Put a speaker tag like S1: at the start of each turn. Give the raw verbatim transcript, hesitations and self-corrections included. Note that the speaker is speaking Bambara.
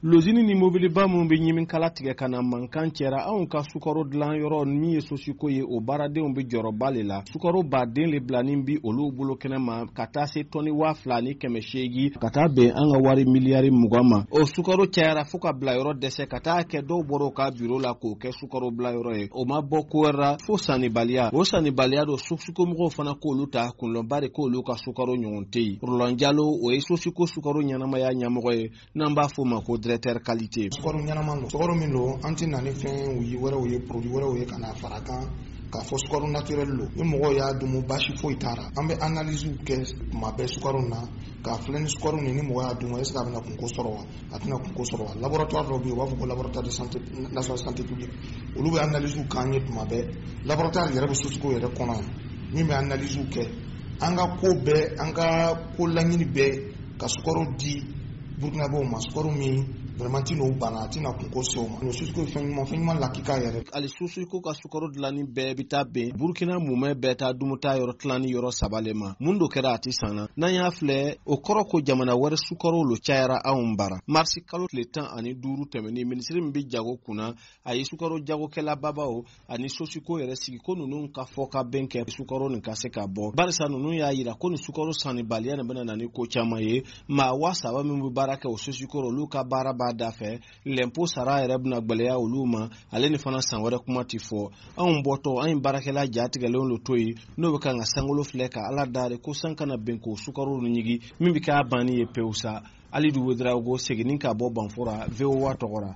S1: Lozini ni mobiliba minnu bɛ ɲiminkala tigɛ ka na mankan cɛra anw ka sukaro dilan yɔrɔ min ye Sosiko ye, o baaradenw bɛ jɔyɔrɔba le la. Sukaro baden le bilanin bi olu bolo kɛnɛ ma ka taa se tɔni waa fila ni kɛmɛ seegin ka taa bɛn an ka wari miliyari mugan ma. O sukaro cayara fo ka bila yɔrɔ dɛsɛ, ka taa kɛ dɔw bɔra u ka biro la k'o kɛ sukaro bila yɔrɔ ye. O ma bɔ ko wɛrɛ la fo sannibaliya. O sannibaliya don, Sosiko mɔgɔw fana k'olu ta kunlɔnba de, k'olu ka sukaro ɲɔgɔn tɛ yen. Roland Jalo, o ye Sosiko sukaro ɲɛnamaya ɲɛmɔgɔ ye, n'an b'a fɔ o ma ko directeur qualité.
S2: Sukaro ɲɛnama don, sukaro min don, an tɛ na ni fɛn wɛrɛw ye, produit wɛrɛw ye ka na fara kan k'a fɔ sukaro naturel don. Ni mɔgɔw y'a dumu, baasi foyi t'a la. An bɛ analyse kɛ tuma bɛɛ sukaro na k'a filɛ ni sukaro nin, ni mɔgɔ y'a dun, est ce que a bɛna kunko sɔrɔ wa, a tɛna kunko sɔrɔ wa. Laboratoire dɔ bɛ yen, u b'a fɔ ko Laboratoire de santé national santé publique, olu bɛ analyse k'an ye tuma bɛɛ. Laboratoire yɛrɛ bɛ Sosiko yɛrɛ kɔnɔ yan min bɛ analyse kɛ. An ka ko bɛɛ, an ka ko laɲini bɛɛ ka sukaro di Burukinabew ma, sukaro min vraiment ti n'o bana, a tɛna kunko se o ma. Sosiko ye fɛn ɲuman, fɛn ɲuman lakika yɛrɛ.
S1: Hali Sosiko ka sukaro dilanni bɛɛ bɛ taa bɛn Burukina mumɛ bɛɛ taa dumuta yɔrɔ tilanni yɔrɔ saba le ma. Mun do kɛra a ti san na, n'an y'a filɛ, o kɔrɔ ko jamana wɛrɛ sukaro lo cayara anw bara. Marisi kalo tile tan ani duuru tɛmɛnen, minisiri min bɛ jago kunna, a ye sukaro jagokɛla babaw ani Sosiko yɛrɛ sigi ko ninnu ka fɔ ka bɛn kɛ sukaro nin ka se ka bɔ, barisa ninnu y'a yira ko nin sukaro sannibaliya nin bɛna na ni ko caman ye. Maa waa saba min bɛ baara kɛ o Sosiko, olu ka baara b'a da fɛ, lɛnpo sara yɛrɛ bɛna gwɛlɛya olu ma. Ale ni fana san wɛrɛ kuma ti fɔ. Anw bɔtɔ, an ye baarakɛla jatigɛlenw lo to yen, n'o bɛ kan ka sankolo filɛ ka Ala dari ko san kana bɛn k'o sukaro ɲigi min bɛ k'a banni ye pewu sa. Alidu Wedarawogo seginni ka bɔ Banfora, V O A tɔgɔ ra.